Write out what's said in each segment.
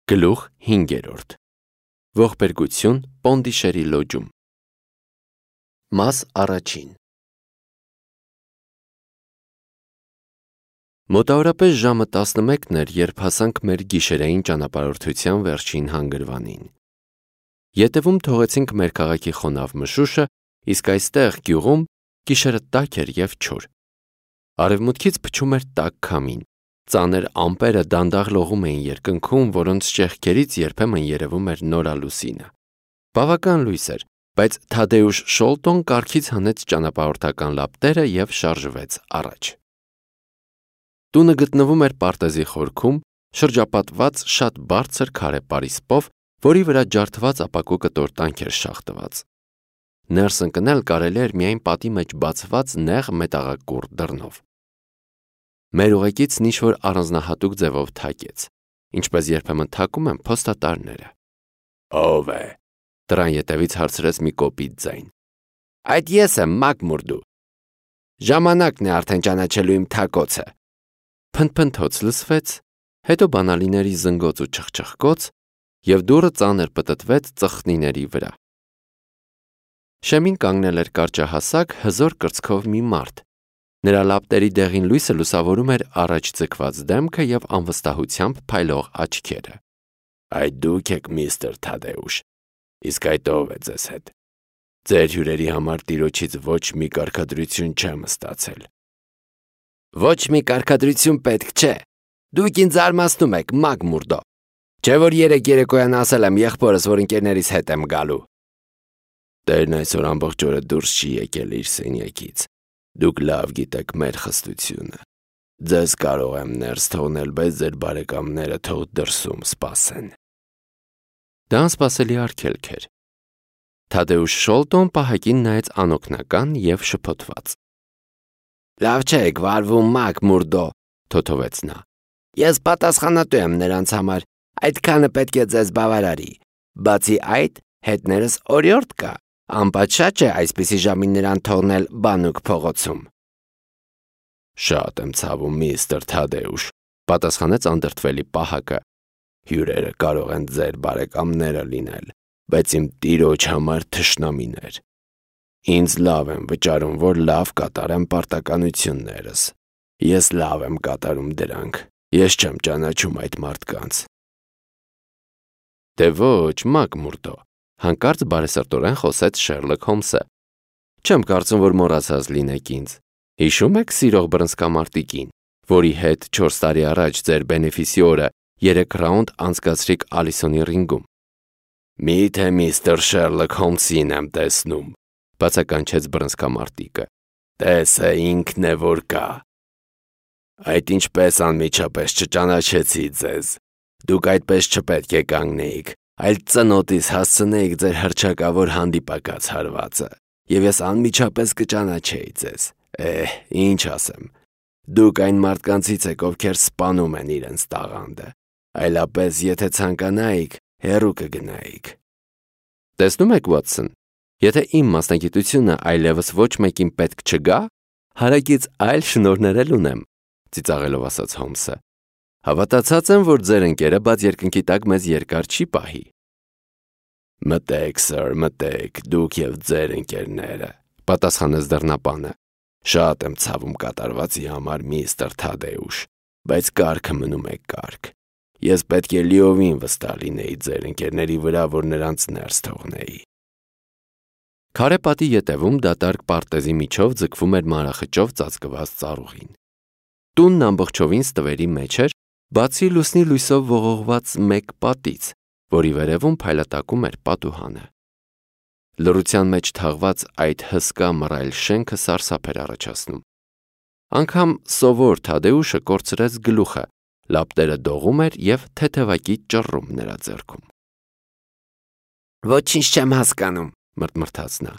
Գլուխ 5. Ողբերգություն Պոնդիշերի լոջում։ Մաս առաջին։ Մոտավորապես ժամը 11-ն էր, երբ հասանք մեր գիշերային ճանապարհորդության վերջին հանգրվանին։ Ետևում թողեցինք մեր քաղաքի խոնավ մշուշը, իսկ այստեղ գյուղում գիշերը տաք էր և չոր։ Արևմուտքից փչում էր տաք քամին։ Ծանր ամպերը դանդաղ լողում էին երկնքում, որոնց ճեղքերից երբեմն երևում էր նորալուսինը։ Բավական լույս էր, բայց Թադեուշ Շոլտոն կառքից հանեց ճանապարհորդական լապտերը և շարժվեց առաջ։ Տունը գտնվում էր պարտեզի խորքում, շրջապատված շատ բարձր քարե պարիսպով, որի վրա ջարդված ապակու կտորտանք էր շաղտված։ Ներս ընկնել կարելի էր միայն պատի մեջ բացված նեղ մետաղակուռ դռնով։ Մեր ուղեկիցն ինչ-որ առանձնահատուկ ձևով թակեց, ինչպես երբեմն թակում են փոստատարները։ «Ո՞վ է», դռան ետևից հարցրեց մի կոպիտ ձայն։ «Այդ ես եմ, Մակմուրդու։ Ժամանակն է արդեն ճանաչելու իմ թակոցը»։ Փնթփնթոց լսվեց, հետո բանալիների զնգոց ու չխչխկոց, և դուռը ծանր պտտվեց ծխնիների վրա։ Շեմին կանգնել էր կարճահասակ, հզոր կրծքով մի մարդ։ Նրա լապտերի դեղին լույսը լուսավորում էր առաջ ձգված դեմքը և անվստահությամբ փայլող աչքերը։ «Այդ դուք եք, միստր Թադեուշ, իսկ այդ ով է ձեզ հետ։ Ձեր հյուրերի համար տիրոջից ոչ մի կարգադրություն չեմ ստացել»։ «Ոչ մի կարգադրություն պետք չէ։ Դուք ինձ զարմացնում եք, Մակմուրդո։ Չէ՞ որ երեկ երեկոյան ասել եմ եղբորս, որ ընկերներիս հետ եմ գալու»։ «Տերն այսօր ամբողջ օրը դուրս չի եկել իր սենյակից։ Դուք լավ գիտեք մեր խստությունը։ Ձեզ կարող եմ ներս թողնել, բայց ձեր բարեկամները թող դրսում սպասեն»։ Դա անսպասելի արգելք էր։ Թադեուշ Շոլտոն պահակին նայեց անօգնական և շփոթված։ «Լավ չեք վարվում, Մակմուրդո», թոթովեց նա։ «Ես պատասխանատու եմ նրանց համար, այդքանը պետք է ձեզ բավարարի։ Բացի այդ, հետներս օրիորդ կա, անպատշաճ է այսպիսի ժամին նրան թողնել բանուկ փողոցում»։ «Շատ եմ ցավում, միստր Թադեուշ», պատասխանեց անդրդվելի պահակը։ «Հյուրերը կարող են ձեր բարեկամները լինել, բայց իմ տիրոջ համար թշնամիներ։ Ինձ լավ եմ վճարում, որ լավ կատարեմ պարտականություններս։ Ես լավ եմ կատարում դրանք։ Ես չեմ ճանաչում այդ մարդկանց»։ «Դե ոչ, Մակմուրդո», հանկարծ բարեսրտորեն խոսեց Շերլոք Հոլմսը։ «Չեմ կարծում, որ մոռացած լինեք ինձ։ Հիշում եք սիրող բռնցքամարտիկին, որի հետ 4 տարի առաջ ձեր բենեֆիսիորը 3 ռաունդ անցկացրիք Ալիսոնի ռինգում»։ «Միթե միստր Շերլոք Հոլմսին եմ տեսնում», բացականչեց բռնցքամարտիկը։ «Տեսը ինքն է որ կա»։ «Այդ ինչպես անմիջապես չճանաչեցի ձեզ։ Դուք այդպես չպետք է կանգնեիք, այլ ծնոտից հասցնեիք ձեր հռչակավոր հանդիպակաց հարվածը, և ես անմիջապես կճանաչեի ձեզ։ Ինչ ասեմ։ Դուք այն մարդկանցից եք, ովքեր սպանում են իրենց տաղանդը, այլապես եթե ցանկանայիք, հեռու կգնայիք»։ «Տեսնում եք, Ուոտսոն, եթե իմ մասնագիտությունը այլևս ոչ մեկին պետք չգա, հարակից այլ շնորհներ էլ ունեմ», ծիծաղելով ասաց Հոլմսը։ «Հավատացած եմ, որ ձեր ընկերը բաց երկնքի տակ մեզ երկար չի պահի»։ «Մտեք, սըր, մտեք, դուք և ձեր ընկերները», պատասխանեց դռնապանը։ «Շատ եմ ցավում կատարվածի համար, միստր Թադեուշ, բայց կարգը մնում է կարգ։ Ես պետք է լիովին վստահ լինեի ձեր ընկերների վրա, որ նրանց ներս թողնեի»։ Քարե պատի ետևում դատարկ պարտեզի միջով ձգվում էր մանրախճով ծածկված ծառուղին։ Տունն ամբողջովին ստվերի մեջ էր, բացի լուսնի լույսով ողողված մեկ պատից, որի վերևում փայլատակում էր պատուհանը։ Լռության մեջ թաղված այդ հսկա մռայլ շենքը սարսափ էր առաջացնում։ Անգամ սովոր Թադեուշը կորցրեց գլուխը, լապտերը դողում էր և թեթևակի ճռռում նրա ձեռքում։ «Ոչինչ չեմ հասկանում», մռթմռթաց նա։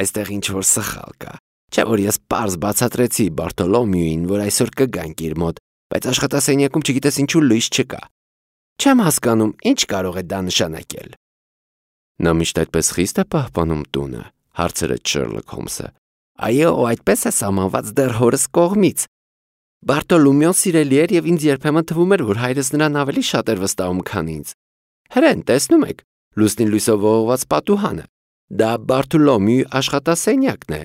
«Այստեղ ինչ-որ սխալ կա։ Չէ՞ որ ես պարզ բացատրեցի Բարտոլոմեոին, որ այսօր կգանք իր մոտ, բայց աշխատասենյակում չգիտես ինչու լույս չկա։ Չեմ հասկանում, ինչ կարող է դա նշանակել»։ «Նա միշտ այդպես խիստ է պահպանում տունը», հարցրեց Շերլոք Հոլմսը։ «Այո, այդպես է սահմանված դեռ հորս կողմից։ Բարտոլոմեոն սիրելի էր և ինձ երբեմն թվում էր, որ հայրս նրան ավելի շատ էր վստահում, քան ինձ։ Հրեն, տեսնում եք, լուսնի լույսով ողողված պատուհանը։ Դա Բարթոլոմեի աշխատասենյակն է,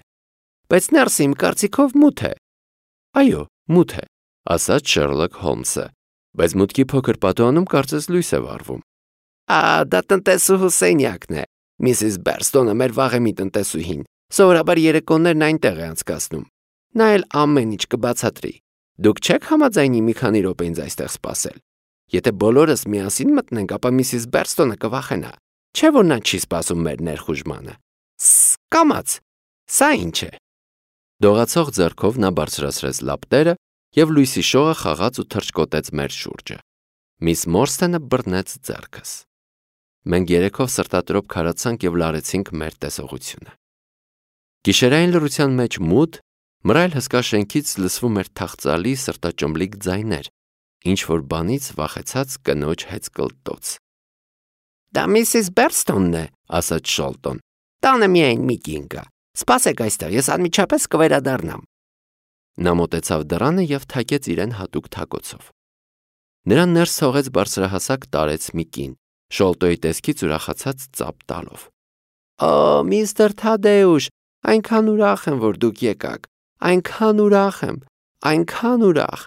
բայց ներսը իմ կարծիքով մութ է։ Այո, մութ է, ասաց Շերլոկ Հոլմսը, բայց մուտքի փոքր պատուհանում կարծես լույս է վառվում։ Դա տնտեսուհու սենյակն է։ Միսիս Բերստոնը մեր վաղեմի տնտեսուհին, սովորաբար երեկոներն այնտեղ է անցկացնում։ Նա էլ ամեն ինչ կբացատրի։ Դուք չեք համաձայնի մի քանի րոպե ինձ այստեղ սպասել։ Եթե բոլորս միասին մտնենք, ապա Միսիս Բերստոնը կվախենա։ Չէ՞ որ նա չի սպասում մեր ներխուժմանը։ Կամաց, սա ինչ է։ Դողացող ձեռքով նա բարձրացրեց լապտերը և լույսի շողը խաղաց ու թռչկոտեց մեր շուրջը։ Միս Մորսթենը բռնեց ձեռքս։ Մենք երեքով սրտատրոփ քարացանք և լարեցինք մեր տեսողությունը։ Գիշերային լռության մեջ մութ, մռայլ հսկա շենքից լսվում էր թախծալի սրտաճմլիկ ձայներ, ինչ-որ բանից վախեցած կնոջ հեծկլտոց։ Դա Միսիս Բերստոնն է, ասաց Շոլտոն։ Տանը միայն մի կին կա։ Սպասեք այստեղ, ես անմիջապես կվերադառնամ։ Նա մոտեցավ դռանը և թակեց իրեն հատուկ թակոցով։ Նրան ներս թողեց բարձրահասակ տարեց մի կին, Շոլտոյի տեսքից ուրախացած ծափ տալով։ Օ, միստր Թադեուշ, այնքան ուրախ եմ, որ դուք եկաք, այնքան ուրախ եմ, այնքան ուրախ։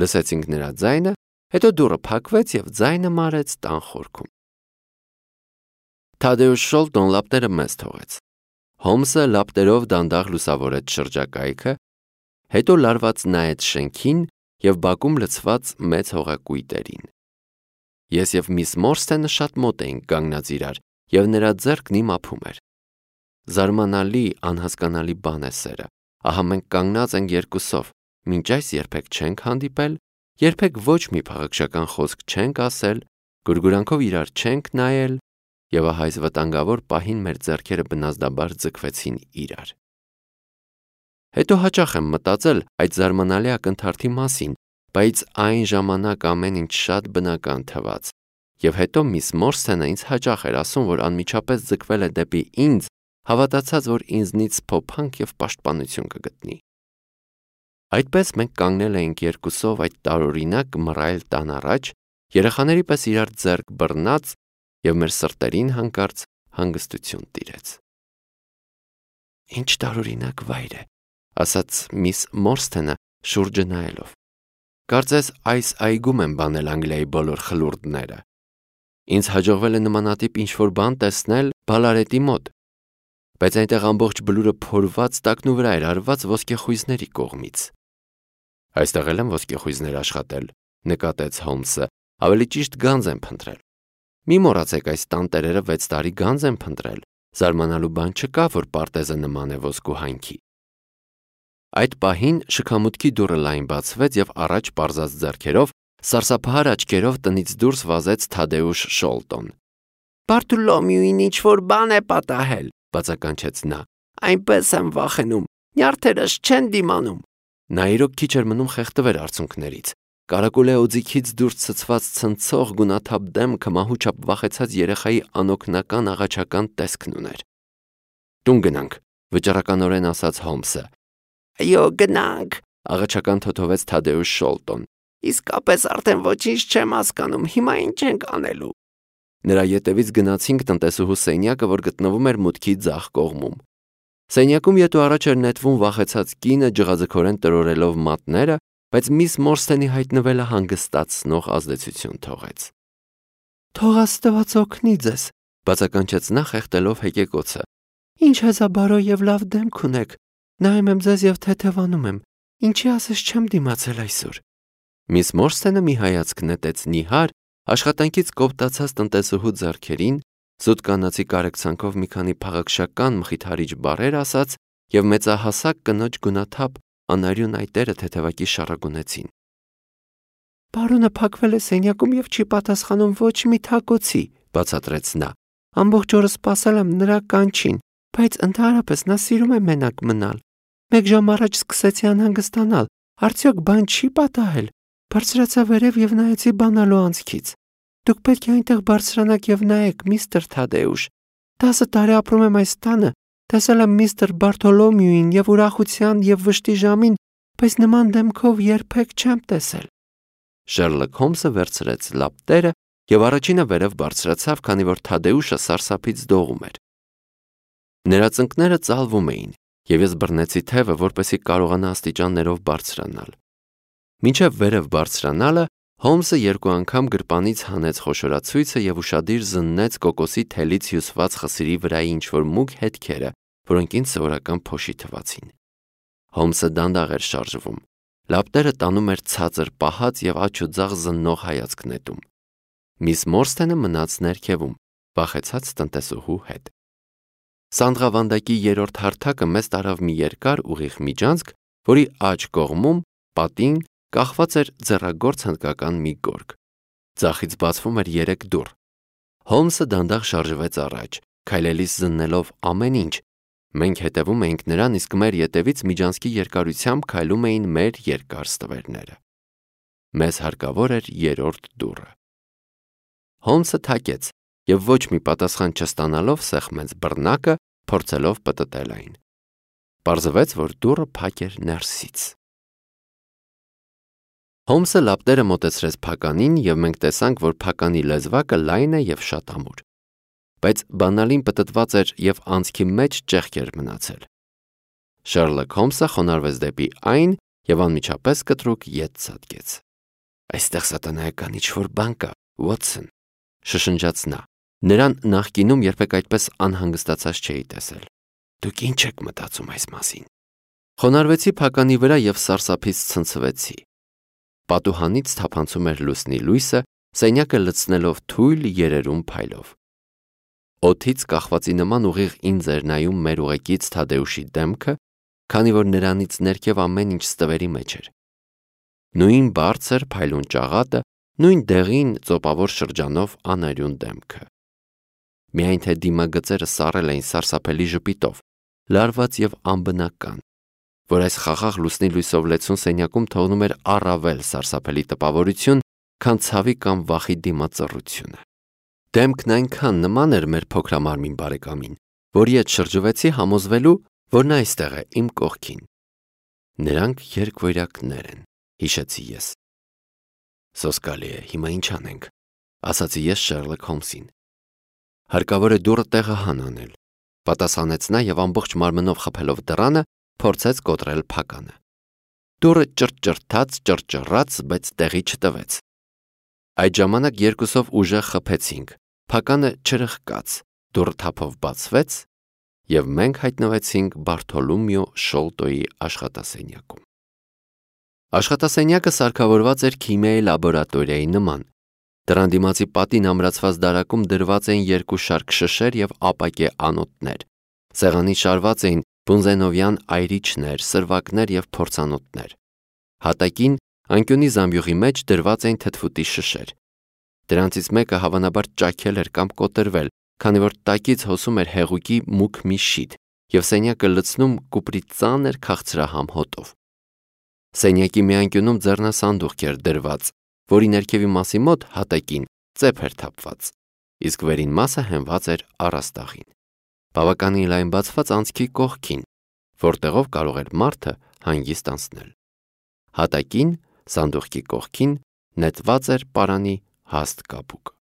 Լսեցինք նրա ձայնը, հետո դուռը փակվեց և ձայնը մարեց տան խորքում։ Թադեուշ Շոլտոն լապտերը մեզ թողեց։ Հոլմսը լապտերով դանդաղ լուսավորեց շրջակայքը, հետո լարված նայեց շենքին և բակում լցված մեծ հողակույտերին։ Ես և միս Մորսթենը շատ մոտ էինք կանգնած իրար, և նրա ձեռքն իմ ափում էր։ Զարմանալի, անհասկանալի բան է սերը։ Ահա մենք կանգնած ենք երկուսով, մինչ այս երբեք չենք հանդիպել, երբեք ոչ մի փաղաքշական խոսք չենք ասել, գուրգուրանքով իրար չենք նայել, և ահա այս վտանգավոր պահին մեր ձեռքերը բնազդաբար ձգվեցին իրար։ Հետո հաճախ եմ մտածել այդ զարմանալի ակնթարթի մասին, բայց այն ժամանակ ամեն ինչ շատ բնական թվաց, և հետո միս Մորսթենը ինձ հաճախ էր ասում, որ անմիջապես ձգվել է դեպի ինձ, հավատացած, որ ինձնից փոփանք և պաշտպանություն կգտնի։ Այդպես մենք կանգնել էինք երկուսով այդ տարօրինակ մռայլ տան առաջ, երեխաների պես իրար ձեռք բռնած, և մեր սրտերին հանկարծ հանգստություն տիրեց։ Ինչ տարօրինակ վայր է, ասաց միս Մորսթենը շուրջը նայելով։ Կարծես այս այգում են բանել Անգլիայի բոլոր խլուրդները։ Ինձ հաջողվել է նմանատիպ ինչ-որ բան տեսնել Բալարետի մոտ, բայց այնտեղ ամբողջ բլուրը փորված տակնու վրա էր արված ոսկեխույզների կողմից։ Այստեղ էլ են ոսկեխույզներ աշխատել, նկատեց Հոլմսը, ավելի ճիշտ գանձ են փնտրել։ Մի մոռացեք, այս տանտերերը 6 տարի գանձ են փնտրել, զարմանալու բան չկա, որ պարտեզը նման է ոսկու հանքի։ Այդ պահին շքամուտքի դուռը լայն բացվեց և առաջ պարզած ձեռքերով, սարսափահար աչքերով տնից դուրս վազեց Թադեուշ Շոլտոն։ Բարթոլոմեուին ինչ-որ բան է պատահել, բացականչեց նա։ Այնպես եմ վախենում, նյարդերս չեն դիմանում։ Նա իրոք քիչ էր մնում խեղդվեր արցունքներից։ Կարակուլե օձիքից դուրս ցցված ցնցող գունաթափ դեմքը մահուչապ վախեցած երեխայի անօգնական աղաչական տեսքն ուներ։ Տուն գնանք, վճռականորեն ասաց Հոլմսը։ Այո, գնանք, աղաչական թոթովեց Թադեուշ Շոլտոն։ Իսկապես արդեն ոչինչ չեմ հասկանում, հիմա ինչ ենք անելու։ Նրա ետևից գնացինք տնտեսուհու սենյակը, որ գտնվում էր մուտքի ձախ կողմում։ Սենյակում ետո առաջ էր նետվում վախեցած կինը ջղաձգորեն տրորելով մատները, բայց միս Մորսթենի հայտնվելը հանգստացնող ազդեցություն թողեց։ Թող Աստված օգնի ձեզ, բացականչեց նա խեղդելով հեկեկոցը։ Ինչ հեզաբարո և լավ դեմք ունեք։ Նայում եմ ձեզ և թեթևանում եմ։ Ինչի ասես չեմ դիմացել այսօր։ Միս Մորսթենը մի հայացք նետեց նիհար, աշխատանքից կոպտացած տնտեսուհու ձեռքերին, զուտ կանացի կարեկցանքով մի քանի փաղաքշական մխիթարիչ բառեր ասաց և մեծահասակ կնոջ գունաթափ անարյուն այտերը թեթևակի շառագունեցին։ Պարոնը փակվել է սենյակում և չի պատասխանում ոչ մի թակոցի, բացատրեց նա։ Ամբողջ օրը սպասել եմ նրա կանչին, բայց ընդհանրապես նա սիրում է մենակ մնալ։ 1 ժամ առաջ սկսեցի անհանգստանալ, արդյոք բան չի պատահել։ Բարձրացա վերև և նայեցի բանալու անցքից։ Դուք պետք է այնտեղ բարձրանաք և նայեք, միստր Թադեուշ։ 10 տարի ապրում եմ այս տանը, տեսել եմ միստր Բարթոլոմեուին և ուրախության և վշտի ժամին, բայց նման դեմքով երբեք չեմ տեսել։ Շերլոկ Հոլմսը վերցրեց լապտերը եւ առաջինը վերև բարձրացավ, քանի որ Թադեուշը սարսափից դողում էր։ Նրա ծնկները ծալվում էին, եւ ես բռնեցի թևը, որպեսզի կարողանա աստիճաններով բարձրանալ։ Մինչև վերև բարձրանալը Հոլմսը 2 անգամ գրպանից հանեց խոշորացույցը եւ ուշադիր զննեց կոկոսի թելից հյուսված խսիրի վրայի ինչ-որ մուգ հետքերը, որոնք ինձ սովորական փոշի թվացին։ Հոլմսը դանդաղ էր շարժվում, լապտերը տանում էր ցածր պահած եւ աջ ու ձախ զննող հայացք նետում։ Միս Մորսթենը մնաց ներքևում, վախեցած տնտեսուհու հետ։ Սանդղավանդակի 3-րդ հարթակը մեզ տարավ մի երկար ուղիղ միջանցք, որի աջ կողմում պատին կախված էր ձեռագործ հնդկական մի գորգ։ Ձախից բացվում էր 3 դուռ։ Հոլմսը դանդաղ շարժվեց առաջ, քայլելիս զննելով ամեն ինչ։ Մենք հետևում էինք նրան, իսկ մեր ետևից միջանցքի երկարությամբ քայլում էին մեր երկար ստվերները։ Մեզ հարկավոր էր 3-րդ դուռը։ Հոլմսը թակեց եւ ոչ մի պատասխան չստանալով սեղմեց բռնակը, փորձելով պտտել այն։ Պարզվեց, որ դուռը փակ էր ներսից։ Հոլմսը լապտերը մոտեցրեց փականին եւ մենք տեսանք, որ փականի լեզվակը լայն է եւ շատ ամուր։ Բայց բանալին պտտված էր եւ անցքի մեջ ճեղք էր մնացել։ Շերլոք Հոլմսը խոնարհվեց դեպի այն եւ անմիջապես կտրուկ ետ ցատկեց։ Այստեղ սատանայական ինչ-որ բան կա, Ուոտսոն, շշնջաց նա։ Նրան նախկինում երբեք այդպես անհանգստացած չէի տեսել։ Դուք ինչ եք մտածում այս մասին։ Խոնարհվեցի փականի վրա եւ սարսափից ցնցվեցի։ Պատուհանից թափանցում էր լուսնի լույսը, սենյակը լցնելով թույլ երերուն փայլով։ Օդից կախվածի նման ուղիղ ինձ էր նայում մեր ուղեկից Թադեուշի դեմքը, քանի որ նրանից ներքև ամեն ինչ ստվերի մեջ էր։ Նույն բարձր փայլուն ճաղատը, նույն դեղին ծոպավոր շրջանով անարյուն դեմքը։ Միայն թե դիմագծերը սառել էին սարսափելի ժպիտով, լարված եւ անբնական, որ այս խաղաղ լուսնի լույսով լեցուն սենյակում թողնում էր առավել սարսափելի տպավորություն, քան ցավի կամ վախի դիմածռությունը։ Դեմքն այնքան նման էր մեր փոքրամարմին բարեկամին, որի հետ շրջվեցի համոզվելու, որ նա այստեղ է իմ կողքին։ Նրանք երկվոյրակներ են, հիշեցի ես։ Սոսկալի է, հիմա ինչ անենք, ասացի ես Շերլոք Հոլմսին։ Հարկավոր է դուռը տեղը հանանել, պատասխանեց նա եւ ամբողջ մարմնով խփելով դռանը, փորձեց կոտրել փականը։ Դուռը ճռճռթաց, ճռճռաց, բայց տեղի չտվեց։ Այդ ժամանակ երկուսով ուժեղ խփեցինք, փականը չրխկաց, դուռը թափով բացվեց եւ մենք հայտնվեցինք Բարթոլոմեո Շոլտոյի աշխատասենյակում։ Աշխատասենյակը սարքավորված էր քիմիայի լաբորատորիայի նման։ Դրան դիմացի պատին ամրացված դարակում դրված էին 2 շարք շշեր եւ ապակե անոթներ։ Սեղանին շարված էին բունզենովյան այրիչներ, սրվակներ եւ փորձանոթներ։ Հատակին անկյունի զամբյուղի մեջ դրված էին թթվուտի շշեր։ Դրանցից մեկը հավանաբար ճաքել էր կամ կոտրվել, քանի որ տակից հոսում էր հեղուկի մուգ մի շիթ եւ սենյակը լցնում կուպրի ծանր քաղցրահամ հոտով։ Սենյակի մի անկյունում ձեռնասանդուղք էր դրված, որի ներքևի մասի մոտ հատակին ծեփ էր թափված, իսկ վերին մասը հենված էր առաստաղին։ Բավականին լայն բացված անցքի կողքին, որտեղով կարող էր մարդը հանգիստ անցնել։ Հատակին, սանդուղքի կողքին նետված էր պարանի հաստ կապուկ։